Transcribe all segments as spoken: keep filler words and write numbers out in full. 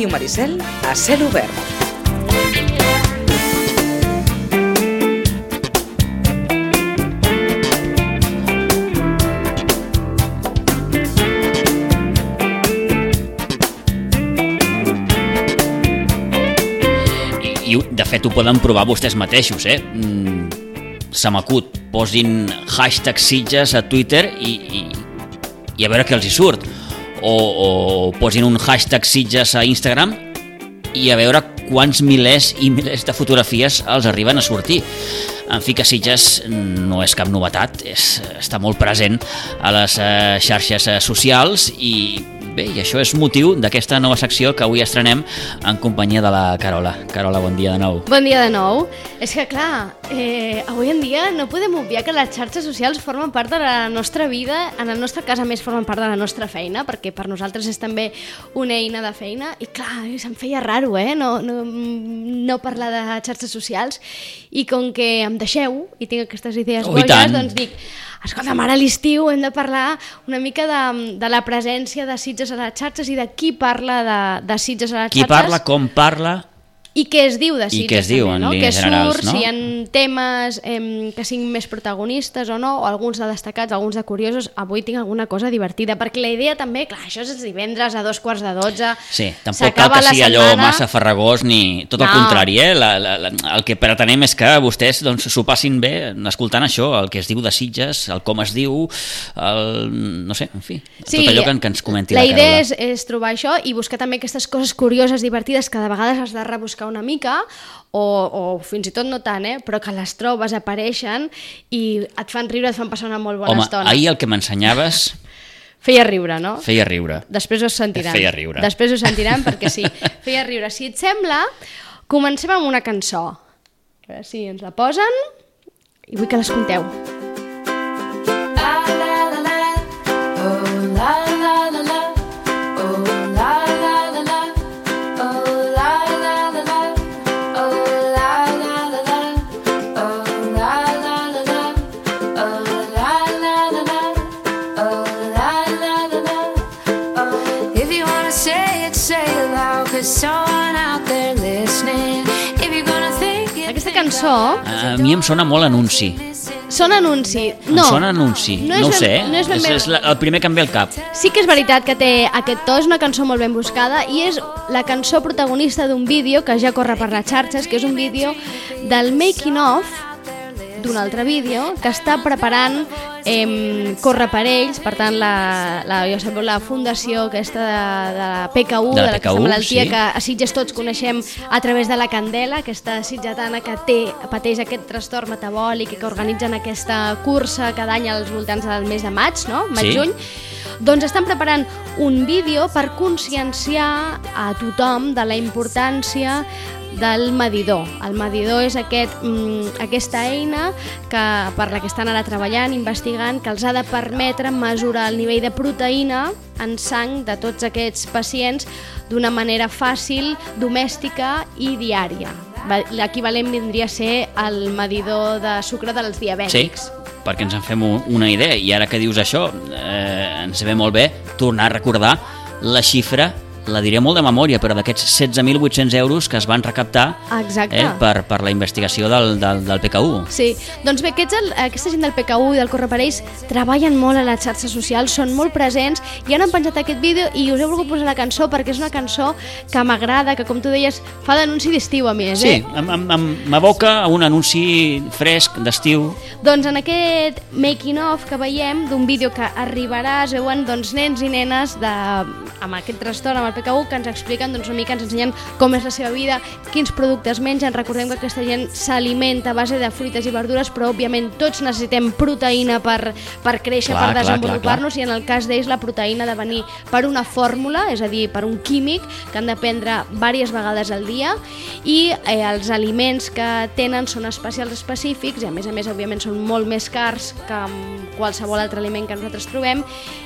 Ràdio Maricel a cel obert. I, de fet, ho poden provar vostès mateixos, eh? Mm, se m'acut, posin hashtag Sitges a Twitter i, i, i a veure què els hi surt. O, o posin un hashtag Sitges a Instagram i a veure quants milers i milers de fotografies els arriben a sortir. En fi, que Sitges no és cap novetat, és, està molt present a les eh, xarxes eh, socials i bé, i això és motiu d'aquesta nova secció que avui estrenem en companyia de la Carola. Carola, bon dia de nou. Bon dia de nou. És que, clar, eh, avui en dia no podem obviar que les xarxes socials formen part de la nostra vida, en el nostre cas, a més, formen part de la nostra feina, perquè per nosaltres és també una eina de feina, i clar, se'm feia raro, eh, no, no, no parlar de xarxes socials, i com que em deixeu, i tinc aquestes idees oh, boges, doncs dic, escolta'm, ara a l'estiu hem de parlar una mica de, de la presència de Sitges a les xarxes i de qui parla de, de Sitges a les qui xarxes. Qui parla, com parla... I què es diu de Sitges, I què es diu, també, en no? línies Què generals, surt, no? si hi ha temes eh, que siguin més protagonistes o no, o alguns de destacats, alguns de curiosos. Avui tinc alguna cosa divertida, perquè la idea també, clar, això és els divendres a dos quarts de dotze. Sí, tampoc cal que sigui allò massa farragós ni tot el no. contrari, eh? La, la, la, el que pretenem és que vostès doncs, s'ho passin bé escoltant això, el que es diu de Sitges, el com es diu, el, no sé, en fi, sí, tot allò que, que ens comenti la, la Carola. La idea és, és trobar això i buscar també aquestes coses curioses, divertides, que de vegades has de rebuscar una mica, O, o fins i tot no tant, eh? Però que les trobes, apareixen i et fan riure, et fan passar una molt bona Home, estona. Home, ahir el que m'ensenyaves... Feia riure, no? Feia riure. Després ho sentiran. Feia riure. Després ho sentiran perquè sí, feia riure. Si et sembla, comencem amb una cançó. A veure si ens la posen i vull que l'escolteu. La, la, la, la. Oh, la, la, la, la. Oh, la, la, la, la. Oh, la, la, la, la. Aquesta cançó... A mi em sona molt anunci. Sona anunci. No, em sona anunci, no, no ho ben, sé, no és, ben és, és la, el primer que em ve al cap. Sí que és veritat que té aquest to, és una cançó molt ben buscada i és la cançó protagonista d'un vídeo que ja corre per les xarxes, que és un vídeo del making of d'un altre vídeo que està preparant eh, Corre per ells, per tant la, la, ja sabeu, la fundació aquesta de, de la P K U, de, de aquesta malaltia sí. que a Sitges tots coneixem a través de la Candela, aquesta sitgetana que té, pateix aquest trastorn metabòlic i que organitzen aquesta cursa cada any als voltants del mes de maig, no? Maig-juny. Sí. Doncs estan preparant un vídeo per conscienciar a tothom de la importància del medidor. El medidor és aquest, mm, aquesta eina que, per la que estan ara treballant, investigant, que els ha de permetre mesurar el nivell de proteïna en sang de tots aquests pacients d'una manera fàcil, domèstica i diària. L'equivalent vindria a ser el medidor de sucre dels diabètics. Sí, perquè ens en fem una idea, i ara que dius això, eh, ens ve molt bé tornar a recordar la xifra, la diré molt de memòria, però d'aquests setze mil vuit-cents euros que es van recaptar eh, per, per la investigació del, del, del P K U. Sí, doncs bé, aquests, aquesta gent del P K U i del Corre per ells treballen molt a les xarxes socials, són molt presents i han penjat aquest vídeo i us he volgut posar la cançó perquè és una cançó que m'agrada, que com tu deies fa d'anunci d'estiu a més. Sí, eh? m'evoca a un anunci fresc d'estiu. Doncs en aquest making of que veiem d'un vídeo que arribarà, es veuen doncs, nens i nenes de, amb aquest trastorn, amb el P K U, que ens expliquen doncs, una mica, ens ensenyen com és la seva vida, quins productes mengen. Recordem que aquesta gent s'alimenta a base de fruites i verdures, però òbviament tots necessitem proteïna per, per créixer, clar, per desenvolupar-nos, i en el cas d'ells la proteïna ha de venir per una fórmula, és a dir, per un químic que han de prendre diverses vegades al dia, i eh, els aliments que tenen són especials específics i a més a més òbviament són molt més cars que, qualsevol altre aliment que nosaltres trobem.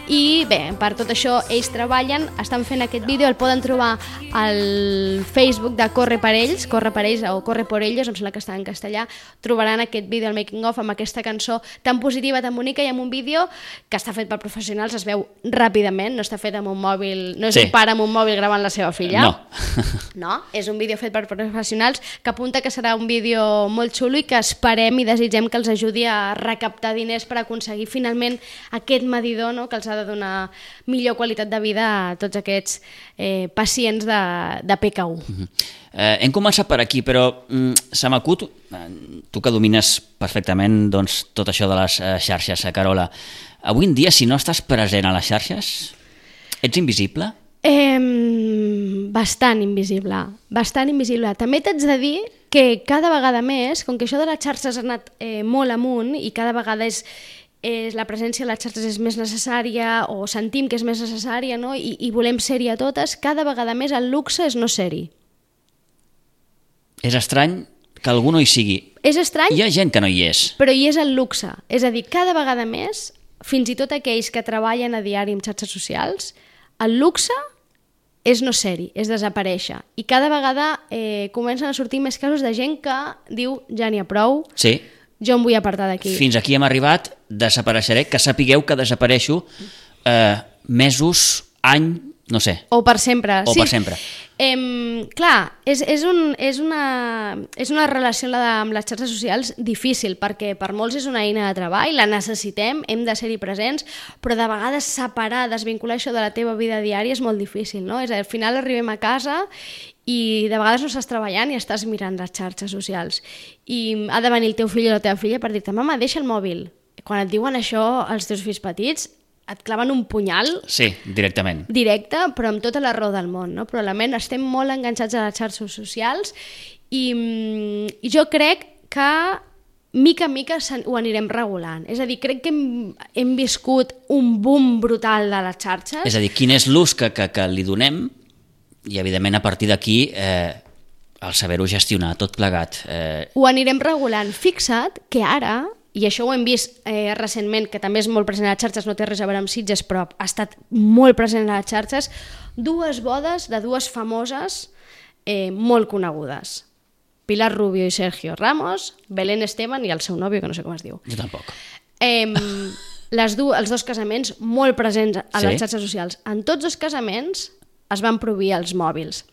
I bé, per tot això ells treballen, estan fent aquest vídeo, el poden trobar al Facebook de Corre per ells, Corre per ells o Corre por ellos, em sembla que està en castellà. Trobaran aquest vídeo, el making of, amb aquesta cançó tan positiva, tan bonica, i amb un vídeo que està fet per professionals, es veu ràpidament, no està fet amb un mòbil, no és sí. un pare amb un mòbil gravant la seva filla. No. No, és un vídeo fet per professionals que apunta que serà un vídeo molt xulo i que esperem i desitgem que els ajudi a recaptar diners per aconseguir finalment aquest medidor, no?, que els ha de donar millor qualitat de vida a tots aquests eh, pacients de, de P K U. Uh-huh. Eh, hem començat per aquí, però mm, se m'acut, eh, tu que domines perfectament doncs, tot això de les eh, xarxes, eh, Carola, avui en dia, si no estàs present a les xarxes, ets invisible? Eh, bastant invisible, bastant invisible. També t'haig de dir que cada vegada més, com que això de les xarxes ha anat eh, molt amunt i cada vegada és, és la presència de les xarxes és més necessària o sentim que és més necessària, no? I, i volem ser-hi a totes, cada vegada més el luxe és no ser-hi. És estrany que algú no hi sigui. És estrany, hi ha gent que no hi és. Però hi és el luxe. És a dir, cada vegada més, fins i tot aquells que treballen a diari en xarxes socials, el luxe és no ser-hi, és desaparèixer. I cada vegada eh, comencen a sortir més casos de gent que diu ja n'hi ha prou, sí. jo em vull apartar d'aquí. Fins aquí hem arribat, desapareixeré, que sapigueu que desapareixo eh, mesos, any, no sé. O per sempre. O sí. per sempre. Eh, clar, és, és, un, és, una, és una relació la de, amb les xarxes socials difícil, perquè per molts és una eina de treball, la necessitem, hem de ser-hi presents, però de vegades separar, desvincular això de la teva vida diària és molt difícil, no? És a dir, al final arribem a casa i de vegades no estàs treballant i estàs mirant les xarxes socials. I ha de venir el teu fill o la teva filla per dir-te, mama, deixa el mòbil. Quan et diuen això als teus fills petits, et claven un punyal... Sí, directament. Directe, però amb tota la raó del món, no? Probablement estem molt enganxats a les xarxes socials i, i jo crec que mica en mica ho anirem regulant. És a dir, crec que hem, hem viscut un boom brutal de les xarxes. És a dir, quin és l'ús que, que, que li donem i, evidentment, a partir d'aquí eh, el saber-ho gestionar, tot plegat. Eh... Ho anirem regulant. Fixa't que ara... i això ho hem vist eh, recentment, que també és molt present a les xarxes, no té res a veure amb Sitges, però ha estat molt present a les xarxes, dues bodes de dues famoses eh, molt conegudes. Pilar Rubio i Sergio Ramos, Belén Esteban i el seu nòvio, que no sé com es diu. Jo tampoc. Eh, les du els dos casaments molt presents a sí? les xarxes socials. En tots dos casaments es van prohibir els mòbils.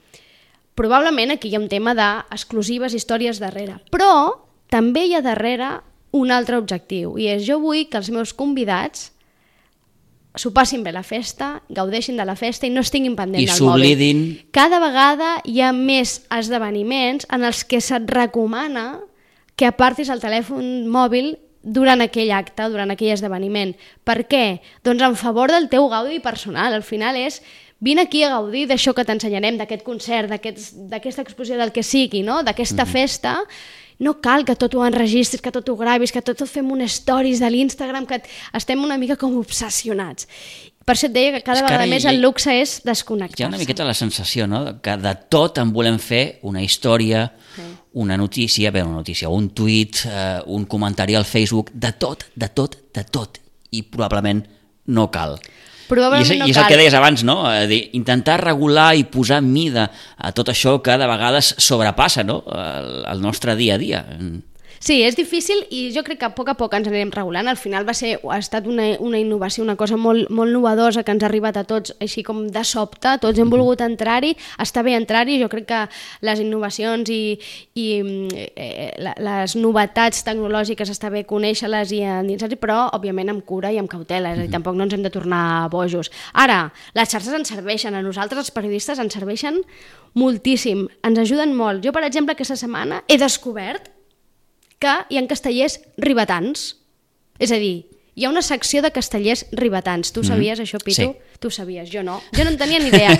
Probablement aquí hi ha un tema d'exclusives històries darrere, però també hi ha darrere un altre objectiu, i és jo vull que els meus convidats s'ho passin bé la festa, gaudeixin de la festa i no estiguin pendents I del mòbil. s'oblidin. Cada vegada hi ha més esdeveniments en els que se't recomana que apartis el telèfon mòbil durant aquell acte, durant aquell esdeveniment. Per què? Doncs en favor del teu gaudi personal. Al final és vine aquí a gaudir d'això que t'ensenyarem, d'aquest concert, d'aquesta exposició, del que sigui, no? D'aquesta mm-hmm. festa. No cal que tot ho enregistris, que tot ho gravis, que tot ho fem unes stories de l'Instagram, que estem una mica com obsessionats. Per això et deia que cada que vegada més hi, el luxe és desconnectar-se. Hi ha una miqueta la sensació, no?, que de tot en volem fer una història, sí. una notícia, bé, una notícia, un tuit, eh, un comentari al Facebook, de tot, de tot, de tot. I probablement no cal. Probablement I és, no i és Sí, és difícil i jo crec que a poc a poc ens anirem regulant. Al final va ser, ha estat una, una innovació, una cosa molt, molt novedosa que ens ha arribat a tots així com de sobte, tots hem volgut entrar-hi, està bé entrar-hi, jo crec que les innovacions i, i eh, les novetats tecnològiques està bé conèixer-les i endinsar-hi, però òbviament amb cura i amb cautela, és a dir, tampoc no ens hem de tornar bojos. Ara, les xarxes ens serveixen, a nosaltres els periodistes ens serveixen moltíssim, ens ajuden molt. Jo, per exemple, aquesta setmana he descobert que hi ha castellers ribetans. És a dir, hi ha una secció de castellers ribetans. Tu sabies mm-hmm. això, Pitu? Sí. Tu sabies, jo no. Jo no en tenia ni idea.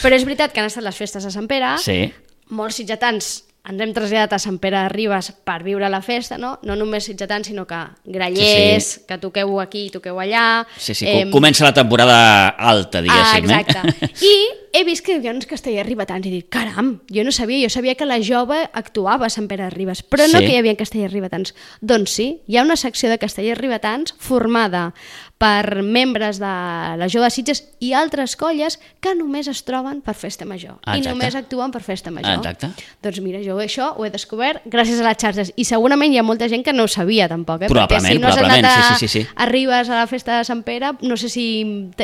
Però és veritat que han estat les festes a Sant Pere. Sí. Molts sitgetans ens hem traslladat a Sant Pere de Ribes per viure la festa, no? No només sitgetans, sinó que grallers, sí, sí. que toqueu aquí i toqueu allà. Sí, sí, eh... comença la temporada alta, diguéssim. Ah, exacte. Eh? I he vist que hi havia uns castellers ribetans i he dit, caram, jo no sabia, jo sabia que la Jove actuava a Sant Pere de Ribes, però no Sí. que hi havia castellers ribetans. Doncs sí, hi ha una secció de castellers ribetans formada per membres de la Jove de Sitges i altres colles que només es troben per festa major. Ah, I exacte. només actuen per festa major. Exacte. Doncs mira, jo això ho he descobert gràcies a les xarxes i segurament hi ha molta gent que no ho sabia tampoc, eh? Probablement, perquè si no has probablement, anat a, sí, sí, sí, sí. a Ribes a la festa de Sant Pere, no sé si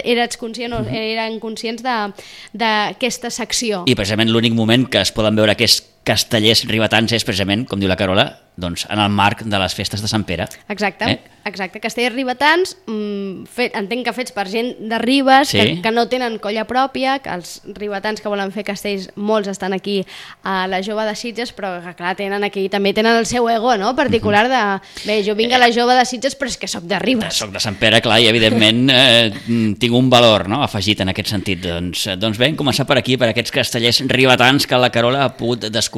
eres conscient o eren conscients de- d'aquesta secció. I precisament l'únic moment que es poden veure aquests castellers ribetans és precisament, com diu la Carola, doncs en el marc de les festes de Sant Pere. Exacte, Eh? exacte. Castellers ribetans, mm, fet, entenc que fets per gent de Ribes, Sí. que, que no tenen colla pròpia, que els ribetans que volen fer castells, molts estan aquí a la Jove de Sitges, però que clar, tenen aquí, també tenen el seu ego, no?, particular de, bé, jo vinc a la Jove de Sitges però és que sóc de Ribes. Soc de Sant Pere, clar, i evidentment eh, tinc un valor, no?, afegit en aquest sentit. Doncs, eh, doncs bé, hem començat per aquí, per aquests castellers ribetans que la Carola ha pogut descobrir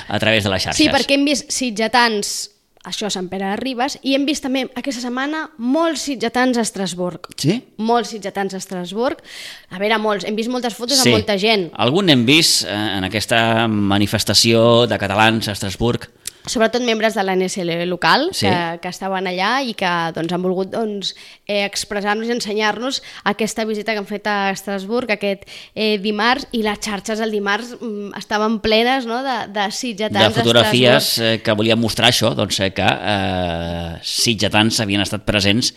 a través de les xarxes. Sí, perquè hem vist sitgetans, això a Sant Pere de Ribes, i hem vist també aquesta setmana molts sitgetans a Estrasburg. Sí? Molts sitgetans a Estrasburg. A veure, molts, hem vist moltes fotos Sí. amb molta gent. Algun hem vist eh, en aquesta manifestació de catalans a Estrasburg. Sobretot membres de l'A N S L local, Sí. que, que estaven allà i que doncs, han volgut doncs, eh, expressar-nos i ensenyar-nos aquesta visita que han fet a Estrasburg aquest eh, dimarts, i les xarxes el dimarts mm, estaven plenes, no?, de, de sitgetans De a fotografies Estrasburg. eh, que volien mostrar això, doncs eh, que eh, sitgetans havien estat presents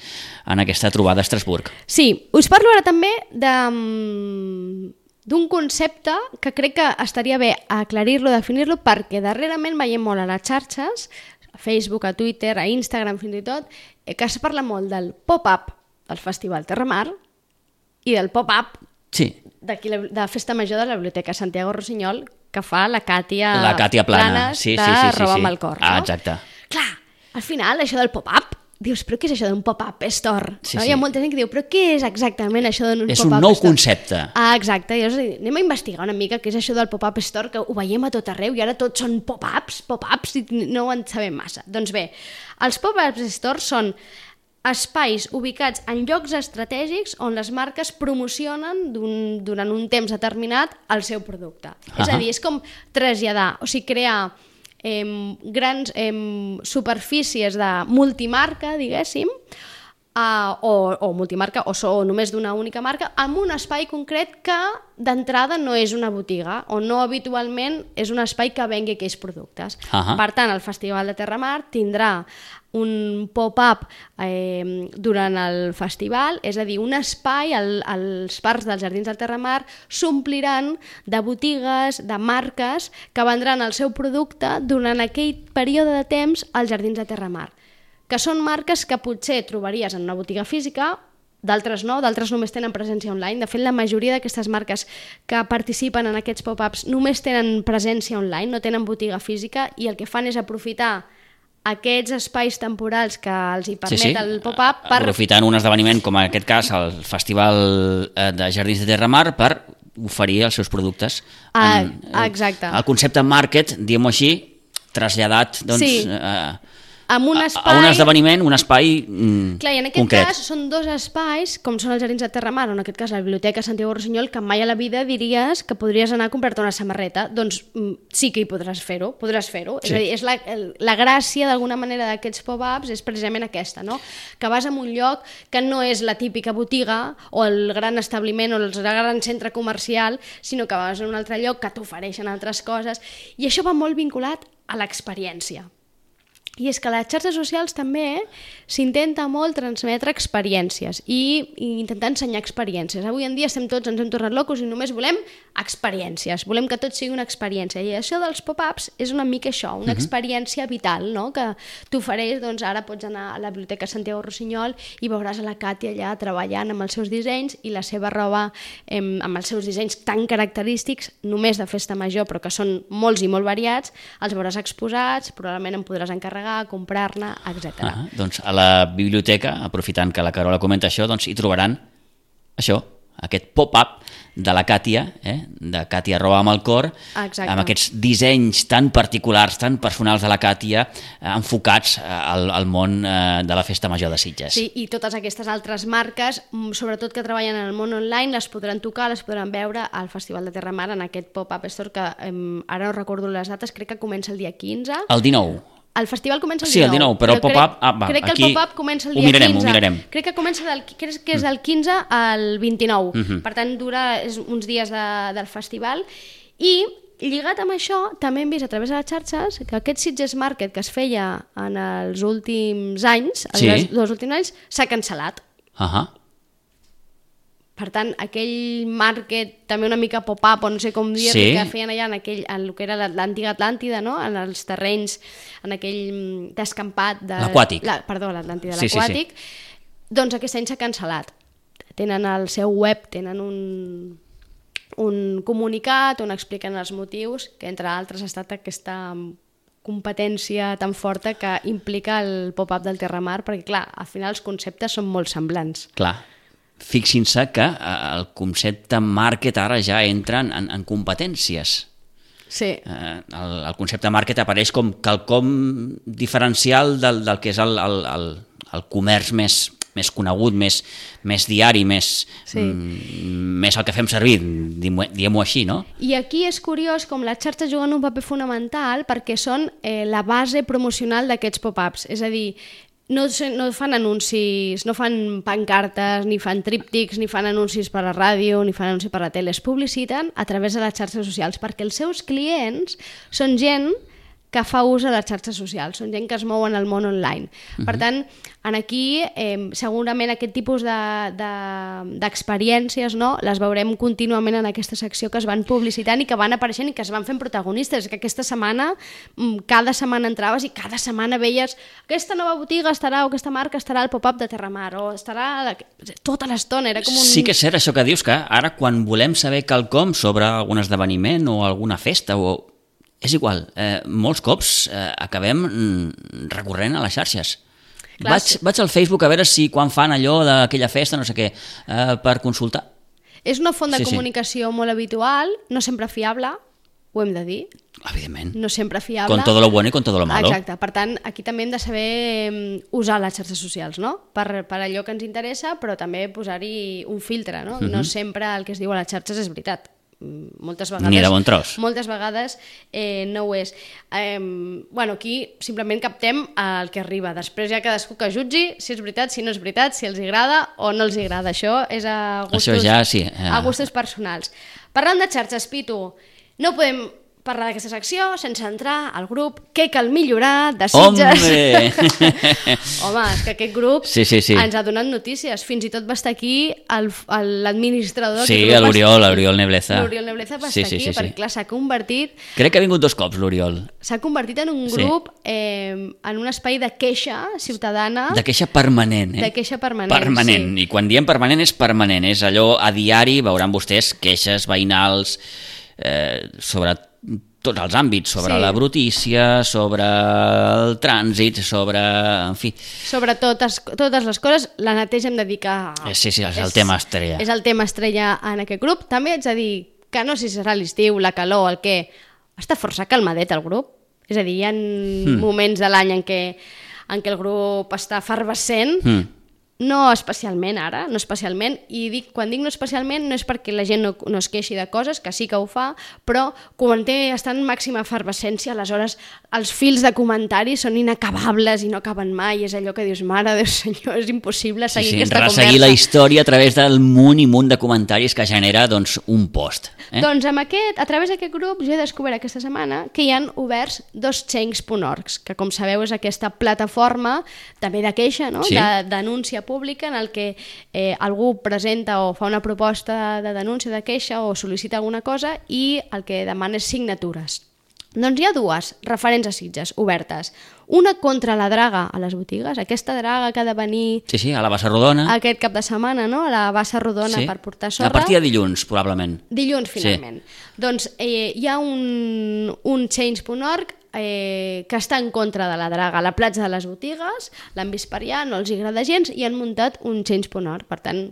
en aquesta trobada a Estrasburg. Sí, us parlo ara també de, mm, d'un concepte que crec que estaria bé aclarir-lo, definir-lo, perquè darrerament veiem molt a les xarxes, a Facebook, a Twitter, a Instagram fins i tot, eh, que es parla molt del pop-up del Festival Terramar i del pop-up Sí, d'aquí la- de la Festa Major de la Biblioteca Santiago Rossinyol que fa la Càtia, la Càtia Plana. Planes Sí, de sí, sí, sí, Roba sí. amb el cor. Ah, no? exacte. Clar, al final això del pop-up, dius, però què és això d'un pop-up store? Sí, no? sí. Hi ha molta gent que diu, però què és exactament això d'un És pop-up un nou store? concepte. Ah, exacte. Llavors, anem a investigar una mica què és això del pop-up store, que ho veiem a tot arreu i ara tots són pop-ups, pop-ups, i no ho en sabem massa. Doncs bé, els pop-up stores són espais ubicats en llocs estratègics on les marques promocionen d'un, durant un temps determinat el seu producte. Uh-huh. És a dir, és com traslladar, o sigui, crear eh, grans eh, superfícies de multimarca, diguéssim, Uh, o, o multimarca, o, so, o només d'una única marca, amb un espai concret que d'entrada no és una botiga, o no habitualment és un espai que vengui aquells productes. Ahà. Per tant, el Festival de Terramar tindrà un pop-up eh, durant el festival, és a dir, un espai, el, els parcs dels Jardins del Terramar s'ompliran de botigues, de marques que vendran el seu producte durant aquell període de temps als Jardins de Terramar, que són marques que potser trobaries en una botiga física, d'altres no, d'altres només tenen presència online. De fet, la majoria d'aquestes marques que participen en aquests pop-ups només tenen presència online, no tenen botiga física, i el que fan és aprofitar aquests espais temporals que els hi permet Sí, sí. el pop-up per... Aprofitant un esdeveniment com en aquest cas el Festival eh, de Jardins de Terramar per oferir els seus productes. Ah, en, exacte. El concepte market, diguem-ho així, traslladat doncs, Sí. a, amb un a, espai... a un esdeveniment, un espai mm, Clar, i en aquest concret. cas són dos espais, com són els Jardins de Terramar, o en aquest cas la Biblioteca Santiago Rossinyol, que mai a la vida diries que podries anar a comprar-te una samarreta. Doncs mm, sí que hi podràs fer-ho, podràs fer-ho. Sí. És a dir, és la, el, la gràcia d'alguna manera d'aquests pop-ups és precisament aquesta, no? Que vas a un lloc que no és la típica botiga o el gran establiment o el gran centre comercial, sinó que vas a un altre lloc que t'ofereixen altres coses, i això va molt vinculat a l'experiència. I és que a les xarxes socials també s'intenta molt transmetre experiències i, i intentar ensenyar experiències. Avui en dia estem tots, ens hem tornat locos i només volem experiències, volem que tot sigui una experiència. I això dels pop-ups és una mica això, una uh-huh. experiència vital, no? Que t'ofereix, doncs ara pots anar a la Biblioteca Santiago Rossinyol i veuràs a la Càtia allà treballant amb els seus dissenys i la seva roba eh, amb els seus dissenys tan característics, només de festa major, però que són molts i molt variats, els veuràs exposats, probablement en podràs encarregar, comprar-ne, etcètera. Ah, doncs a la biblioteca, aprofitant que la Carola comenta això, doncs hi trobaran això, aquest pop-up de la Càtia, eh? de Càtia arroba amb el cor, Exacte. amb aquests dissenys tan particulars, tan personals de la Càtia, eh, enfocats al, al món eh, de la Festa Major de Sitges. Sí, i totes aquestes altres marques, sobretot que treballen en el món online, les podran tocar, les podran veure al Festival de Terramar en aquest pop-up store que eh, ara no recordo les dates, crec que comença el dia quinze. El dinou. El festival comença el sí, dinou. el dinou, però, però el pop-up... Ah, va, crec que aquí el pop-up comença el dia ho mirarem, quinze. Ho mirarem. Crec que, comença del, crec que és del quinze al vint-i-nou. Uh -huh. Per tant, dura és uns dies de, del festival. I lligat amb això, també hem vist a través de les xarxes que aquest Sitges Market que es feia en els últims anys, sí. els dos últims anys, s'ha cancel·lat. Uh -huh. Per tant, aquell market també una mica pop-up, o no sé com dir, sí. que feien allà en, aquell, en el que era l'antiga Atlàntida, no? En els terrenys, en aquell descampat... De, l'aquàtic. La, perdó, l'Atlàntida, sí, l'aquàtic. Sí, sí. Doncs aquest any s'ha cancel·lat. Tenen el seu web, tenen un, un comunicat on expliquen els motius, que entre altres ha estat aquesta competència tan forta que implica el pop-up del Terramar, perquè clar, al final els conceptes són molt semblants. Clar. Fixin-se que el concepte market ara ja entra en, en competències. Sí. Eh, el, el concepte market apareix com quelcom diferencial del, del que és el, el, el, el comerç més, més conegut, més, més diari, més, sí. mm, més el que fem servir, diguem-ho així, no? I aquí és curiós com les xarxes juguen un paper fonamental perquè són eh, la base promocional d'aquests pop-ups. És a dir, No, no fan anuncis, no fan pancartes, ni fan tríptics, ni fan anuncis per a la ràdio, ni fan anuncis per a la tele. Es publiciten a través de les xarxes socials, perquè els seus clients són gent que fa ús de les xarxes socials, són gent que es mou en el món online. Uh-huh. Per tant, en aquí eh, segurament aquest tipus d'experiències de, de, no, les veurem contínuament en aquesta secció que es van publicitant i que van apareixent i que es van fent protagonistes. Que aquesta setmana, cada setmana entraves i cada setmana veies aquesta nova botiga estarà o aquesta marca estarà al pop-up de Terramar o estarà tota l'estona. Era com un... Sí que és cert això que dius, que ara quan volem saber quelcom sobre algun esdeveniment o alguna festa o... És igual, eh, molts cops eh, acabem recorrent a les xarxes. Clar, vaig, sí. vaig al Facebook a veure si quan fan allò d'aquella festa, no sé què, eh, per consultar. És una font de sí, comunicació sí. molt habitual, no sempre fiable, ho hem de dir. Evidentment. No sempre fiable. Con todo lo bueno y con todo lo malo. Exacte, per tant, aquí també hem de saber usar les xarxes socials, no? Per, per allò que ens interessa, però també posar-hi un filtre, no? Uh-huh. No sempre el que es diu a les xarxes és veritat. Moltes vegades, ni de bon tros. Moltes vegades eh, no ho és. Eh, bueno, aquí simplement captem el que arriba. Després ja cadascú que jutgi si és veritat, si no és veritat, si els agrada o no els agrada. Això és a gustos, Això ja, sí, eh. a gustos personals. Parlant de xarxes, Pitu, no podem parlar d'aquesta secció sense entrar al grup Què cal millorar de Sitges. Hombre! Home, és que aquest grup sí, sí, sí. ens ha donat notícies. Fins i tot va estar aquí l'administrador. Sí, l'Oriol, l'Oriol Nebleza. L'Oriol Nebleza va sí, estar sí, aquí, sí, perquè sí. clar, s'ha convertit... Crec que ha vingut dos cops, l'Oriol. S'ha convertit en un grup, sí. eh, en un espai de queixa ciutadana. De queixa permanent, eh? De queixa permanent, Permanent, sí. I quan diem permanent és permanent, és allò a diari, veuran vostès queixes veïnals eh, sobre tots els àmbits, sobre sí. la brutícia, sobre el trànsit, sobre... en fi... Sobre totes, totes les coses, la neteja hem de dir que... Sí, sí, és el és, tema estrella. És el tema estrella en aquest grup. També haig de dir que no sé si serà l'estiu, la calor, el què... Està força calmadet el grup. És a dir, hi ha hmm. moments de l'any en què, en què el grup està efervescent, hmm. no especialment ara, no especialment, i dic, quan dic no especialment no és perquè la gent no, no es queixi de coses, que sí que ho fa, però quan té, està en màxima efervescència, aleshores els fils de comentaris són inacabables i no acaben mai, és allò que dius, mare Déu senyor, és impossible seguir sí, sí, aquesta conversa. Resseguir la història a través del munt i munt de comentaris que genera doncs, un post. Eh? Doncs amb aquest, a través d'aquest grup jo he descobert aquesta setmana que hi han oberts dos change punt org, que com sabeu és aquesta plataforma també de queixa, no? Sí. de denúncia pública en el que eh, algú presenta o fa una proposta de denúncia de queixa o sol·licita alguna cosa i el que demana és signatures. Doncs hi ha dues referents a Sitges obertes. Una contra la draga a les botigues, aquesta draga que ha de venir... Sí, sí, a la Bassa Rodona. Aquest cap de setmana, no? A la Bassa Rodona sí. per portar sorra. A partir de dilluns, probablement. Dilluns, finalment. Sí. Doncs eh, hi ha un, un change punt org eh, que està en contra de la draga a la platja de les botigues, l'han vist per allà, no els agrada gens i han muntat un change punt org. Per tant,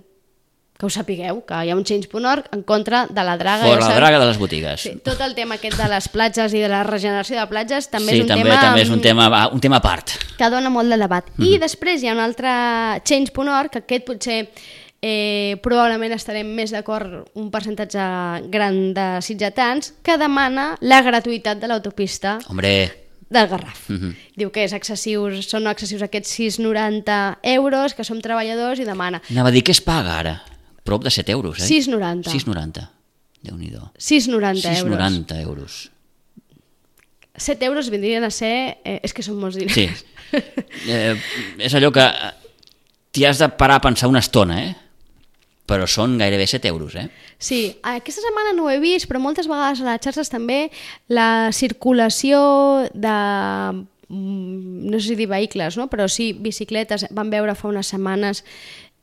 que ho sapigueu, que hi ha un change punt org en contra de la draga. Fora ja la draga de les botigues. Sí, tot el tema aquest de les platges i de la regeneració de platges també sí, és un també, tema... també és un tema, un tema a part. Que dona molt de debat. Mm. I Mhm. després hi ha un altre change punt org, que aquest potser eh, probablement estarem més d'acord un percentatge gran de sitgetans, que demana la gratuïtat de l'autopista Hombre... del Garraf. Uh -huh. Diu que és excessius, són excessius aquests sis coma noranta euros, que som treballadors, i demana... Anava a dir que es paga ara. Prop de set euros, eh? sis coma noranta. sis coma noranta. Déu-n'hi-do. sis coma noranta euros. sis coma noranta euros. set euros vindrien a ser... Eh, és que són molts diners. Sí. Eh, és allò que t'hi has de parar a pensar una estona, eh? Però són gairebé set euros, eh? Sí, aquesta setmana no ho he vist, però moltes vegades a les xarxes també la circulació de, no sé si dir vehicles, no? Però sí, bicicletes. Vam veure fa unes setmanes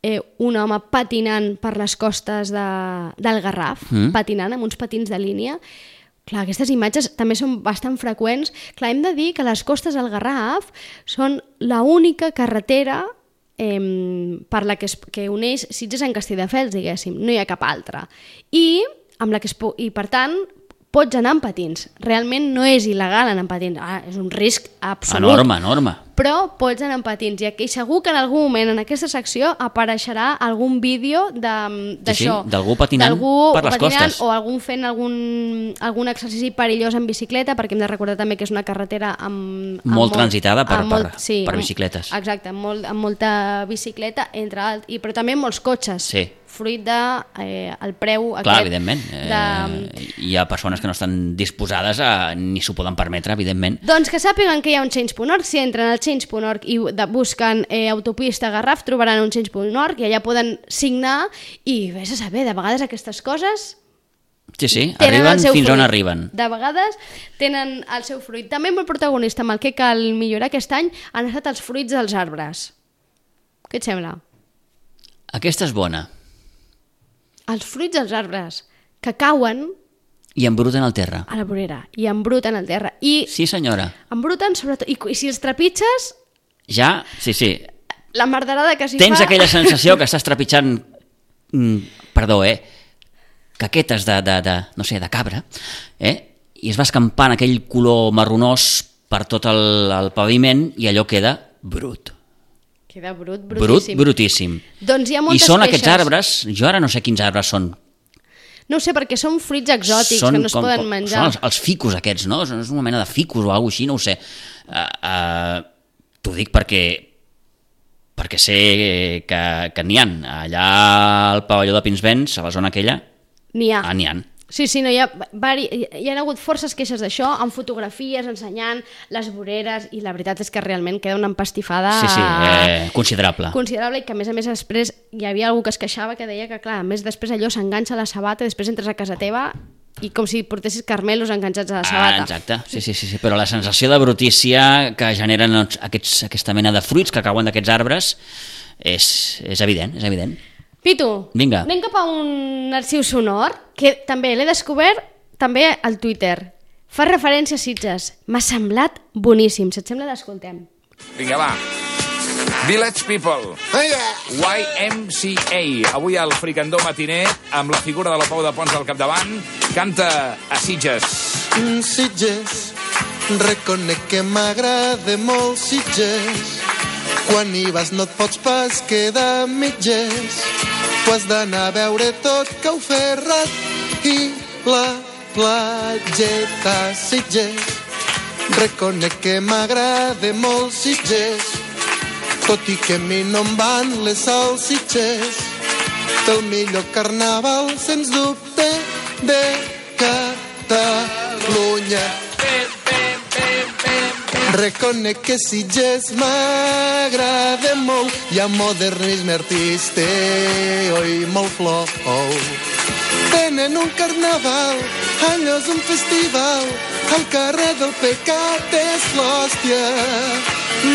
eh, un home patinant per les costes de, del Garraf, mm. patinant amb uns patins de línia. Clar, aquestes imatges també són bastant freqüents. Clar, hem de dir que les costes del Garraf són l'única carretera Eh, per la que, es, que uneix Sitges en Castelldefels, diguéssim, no hi ha cap altra. I, amb la que es, i per tant, pots anar amb patins. Realment no és il·legal anar amb patins, ah, és un risc absolut. Enorme, enorme. Però pots anar amb patins, i aquí segur que en algun moment en aquesta secció apareixerà algun vídeo d'això. Sí, sí, d'algú patinant per les patinant, costes. O algun fent algun, algun exercici perillós en bicicleta, perquè hem de recordar també que és una carretera amb... amb molt transitada per, molt, per, sí, per bicicletes. Amb, exacte, amb, molt, amb molta bicicleta, entre alt, i, però també molts cotxes. Sí. Fruit de eh, el preu Clar, aquest. evidentment. De... Eh, hi ha persones que no estan disposades a, ni s'ho poden permetre, evidentment. Doncs que sàpiguen que hi ha un change punt org. Si entren al change punt org i de, busquen eh, autopista Garraf, trobaran un change punt org i allà poden signar i vés a saber, de vegades aquestes coses... Sí, sí, arriben fins fruit. on arriben. De vegades tenen el seu fruit. També molt protagonista amb el que cal millorar aquest any han estat els fruits dels arbres. Què et sembla? Aquesta és bona. Els fruits dels arbres que cauen... I embruten el terra. A la vorera. I embruten el terra. I sí, senyora. Embruten sobretot... I, i si els trepitges... Ja, sí, sí. La merderada que s'hi fa... Tens aquella sensació que estàs trepitjant... Mm, perdó, eh? Caquetes de, de, de, no sé, de cabra, eh? I es va escampant aquell color marronós per tot el, el paviment i allò queda brut. Queda brut, brutíssim. Brut, brutíssim. Doncs hi ha moltes I són queixes. Aquests arbres, jo ara no sé quins arbres són. No ho sé, perquè són fruits exòtics són que no es com, poden menjar. Són els, els ficus aquests, no? És una mena de ficus o alguna cosa així, no ho sé. Uh, uh, T'ho dic perquè perquè sé que, que n'hi ha. Allà al pavelló de Pinsbens, a la zona aquella, n'hi ha. Ah, n'hi ha. Sí, sí, no, hi, ha, vari, hi ha hagut forces queixes d'això, amb fotografies, ensenyant les voreres, i la veritat és que realment queda una empastifada... Sí, sí, eh, considerable. Considerable, i que a més a més després hi havia algú que es queixava que deia que, clar, a més després allò s'enganxa a la sabata, després entres a casa teva i com si portessis carmelos enganxats a la sabata. Ah, exacte, sí, sí, sí, sí, però la sensació de brutícia que generen aquests, aquesta mena de fruits que cauen d'aquests arbres és, és evident, és evident. Pitu, vinga, anem cap a un arxiu sonor que també l'he descobert també al Twitter. Fa referència a Sitges. M'ha semblat boníssim. Si et sembla, l'escoltem. Vinga, va. Village People, Y M C A. Avui al Fricandó matiner, amb la figura de la Pau de Pons al capdavant, canta a Sitges. Sitges, reconec que m'agrada molt Sitges. Quan hi vas no et pots pas quedar mitges. Tu has d'anar a veure tot que ho ferrat i la platgeta Sitges. Reconec que m'agrada molt Sitges, tot i que a mi no em van les salsitxes. El millor carnaval, sens dubte, de Catalunya. Reconec que Sitges m'agrada molt, hi ha modernisme artístic i molt flou. Tenen un carnaval, allò és un festival, al carrer del Pecat és l'hòstia.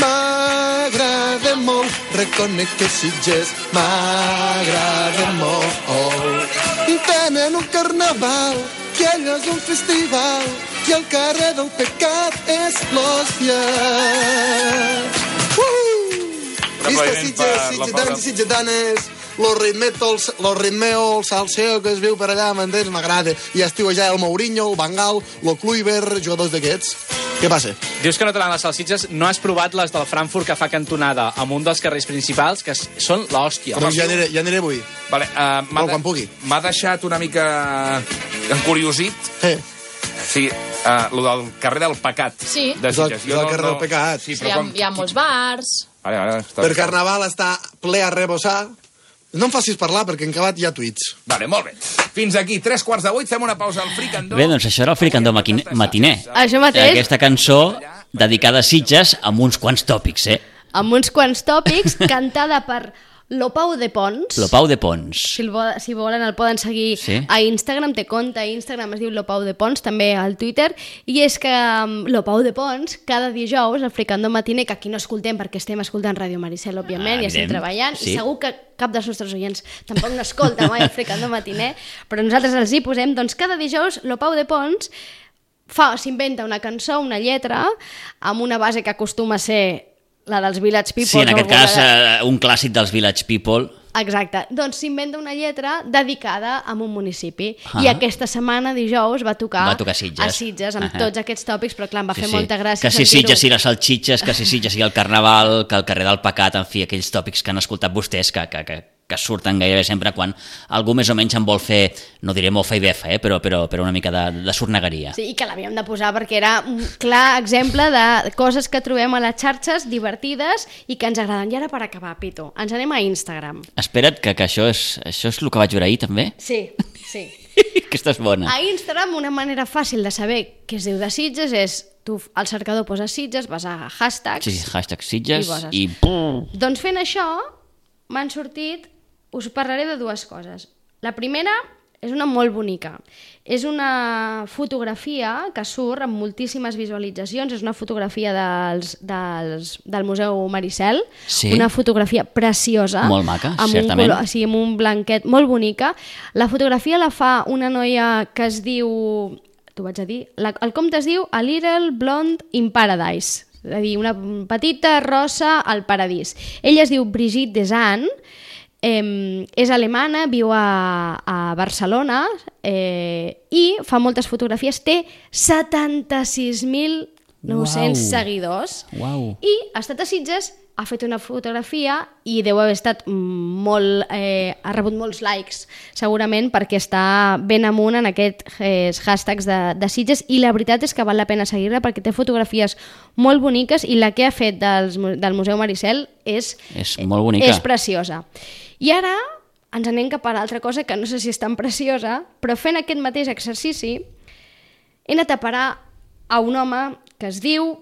M'agrada molt, reconec que Sitges m'agrada molt. Tenen un carnaval, que allò és un festival, i el carrer del Pecat és l'hòstia. Uh! Visca Sitges, sitgedans i sitgedanes, lo ritmeo, lo ritmeo, el salseo que es viu per allà, m'entens? M'agrada. I estiu allà el Mourinho, el Bangal, el Kluivert, jugadors d'aquests. Què passa? Dius que no t'agraden les salsitxes, no has provat les del Frankfurt que fa cantonada amb un dels carrers principals, que són l'hòstia. Doncs ja aniré, ja aniré avui. Vale, uh, no, quan pugui. M'ha deixat una mica encuriosit. Eh. Sí, uh, lo del carrer del Pecat. Sí. De Sitges. Del, del carrer del Pecat. Sí, sí, hi, ha, com... hi ha molts bars. Vale, vale, està... Per Carnaval està ple a rebossar. No em facis parlar, perquè en acabat hi ha tuits. Vale, molt bé. Fins aquí, tres quarts de vuit, fem una pausa al Fricandó. Bé, doncs això era el Fricandó matiner. Això mateix. Aquesta cançó dedicada a Sitges amb uns quants tòpics, eh? Amb uns quants tòpics, cantada per Lopau de Pons. Lopau de Pons. Si, el, si volen el poden seguir sí. a Instagram, té compte a Instagram, es diu Lopau de Pons, també al Twitter, i és que um, Lopau de Pons, cada dijous, el Fricandó matiner, que aquí no escoltem perquè estem escoltant Ràdio Maricel, òbviament, ah, i estem treballant, sí. I segur que cap dels nostres oients tampoc no escolta mai el Fricandó matiner, però nosaltres els hi posem, doncs cada dijous Lopau de Pons fa, s'inventa una cançó, una lletra, amb una base que acostuma a ser la dels Village People. Sí, en aquest cas, de... uh, un clàssic dels Village People. Exacte. Doncs s'inventa una lletra dedicada a un municipi. Ah. I aquesta setmana, dijous, va tocar, va tocar Sitges. a Sitges, amb uh -huh. tots aquests tòpics, però clar, em va sí, fer sí. molta gràcia que si sentir-ho. Sitges i les salxitxes, que si Sitges i el Carnaval, que el carrer del Pecat, en fi, aquells tòpics que han escoltat vostès, que, que, que, que surten gairebé sempre quan algú més o menys en vol fer, no diré mofa i befa, eh? però, però, però una mica de, de sornegueria. Sí, i que l'havíem de posar perquè era un clar exemple de coses que trobem a les xarxes divertides i que ens agraden. I ara per acabar, Pitu, ens anem a Instagram. Espera't, que, que això, és, això és el que vaig veure ahir també? Sí, sí. Aquesta és bona. A Instagram una manera fàcil de saber què es diu de Sitges és tu al cercador poses Sitges, vas a hashtags... Sí, hashtag Sitges i... i... Doncs fent això m'han sortit... Us parlaré de dues coses. La primera és una molt bonica. És una fotografia que surt amb moltíssimes visualitzacions. És una fotografia dels, dels, del Museu Maricel. Sí. Una fotografia preciosa. Molt maca, amb certament. Un color, sí, amb un blanquet molt bonica. La fotografia la fa una noia que es diu... T'ho vaig a dir. La, el compte es diu A Little Blonde in Paradise. És a dir, una petita rosa al paradís. Ella es diu Brigitte Desan. Eh, és alemana, viu a, a Barcelona eh, i fa moltes fotografies, té setanta-sis mil nou-cents wow. seguidors wow. i ha estat a Sitges, ha fet una fotografia i deu haver estat molt, eh, ha rebut molts likes segurament perquè està ben amunt en aquests eh, hashtags de, de Sitges i la veritat és que val la pena seguir-la perquè té fotografies molt boniques i la que ha fet dels, del Museu Maricel és, és molt bonica. És preciosa. I ara ens anem cap a l'altra cosa que no sé si és tan preciosa, però fent aquest mateix exercici he anat a parar a un home que es diu,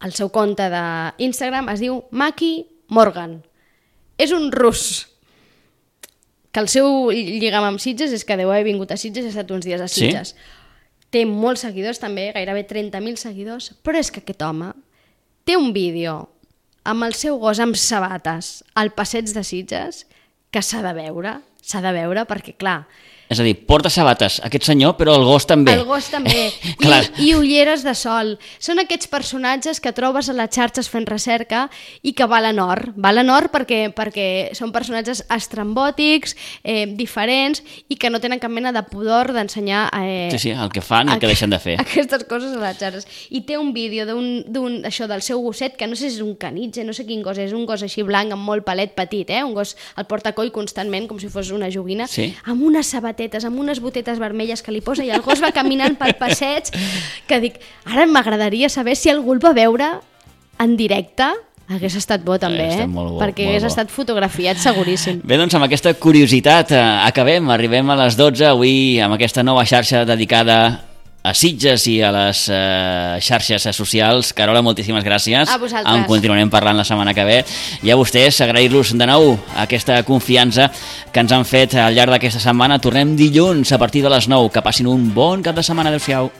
el seu compte d'Instagram es diu Maki Morgan. És un rus que el seu lligam amb Sitges és que deu haver vingut a Sitges i ha estat uns dies a Sitges. Sí? Té molts seguidors també, gairebé trenta mil seguidors, però és que aquest home té un vídeo amb el seu gos amb sabates al passeig de Sitges que s'ha de veure, s'ha de veure perquè, clar... És a dir, porta sabates aquest senyor, però el gos també. El gos també. I, I ulleres de sol. Són aquests personatges que trobes a les xarxes fent recerca i que valen or. Valen or perquè, perquè són personatges estrambòtics, eh, diferents i que no tenen cap mena de pudor d'ensenyar... Eh, sí, sí, el que fan i el que deixen de fer. Aquestes coses a les xarxes. I té un vídeo d'un, això del seu gosset, que no sé si és un canitge, no sé quin gos és, un gos així blanc amb molt pelet petit, eh? Un gos el porta coll constantment, com si fos una joguina, sí? Amb unes sabates amb unes botetes vermelles que li posa i el gos va caminant pel passeig que dic, ara m'agradaria saber si algú el va veure en directe. Hagués estat bo també, eh? Bo, perquè hagués bo. estat fotografiat seguríssim. Bé, doncs amb aquesta curiositat eh, acabem, arribem a les dotze avui amb aquesta nova xarxa dedicada a Sitges i a les eh, xarxes socials. Carola, moltíssimes gràcies. A vosaltres. En continuarem parlant la setmana que ve. I a vostès, agrair-los de nou aquesta confiança que ens han fet al llarg d'aquesta setmana. Tornem dilluns a partir de les nou. Que passin un bon cap de setmana. Adéu-siau.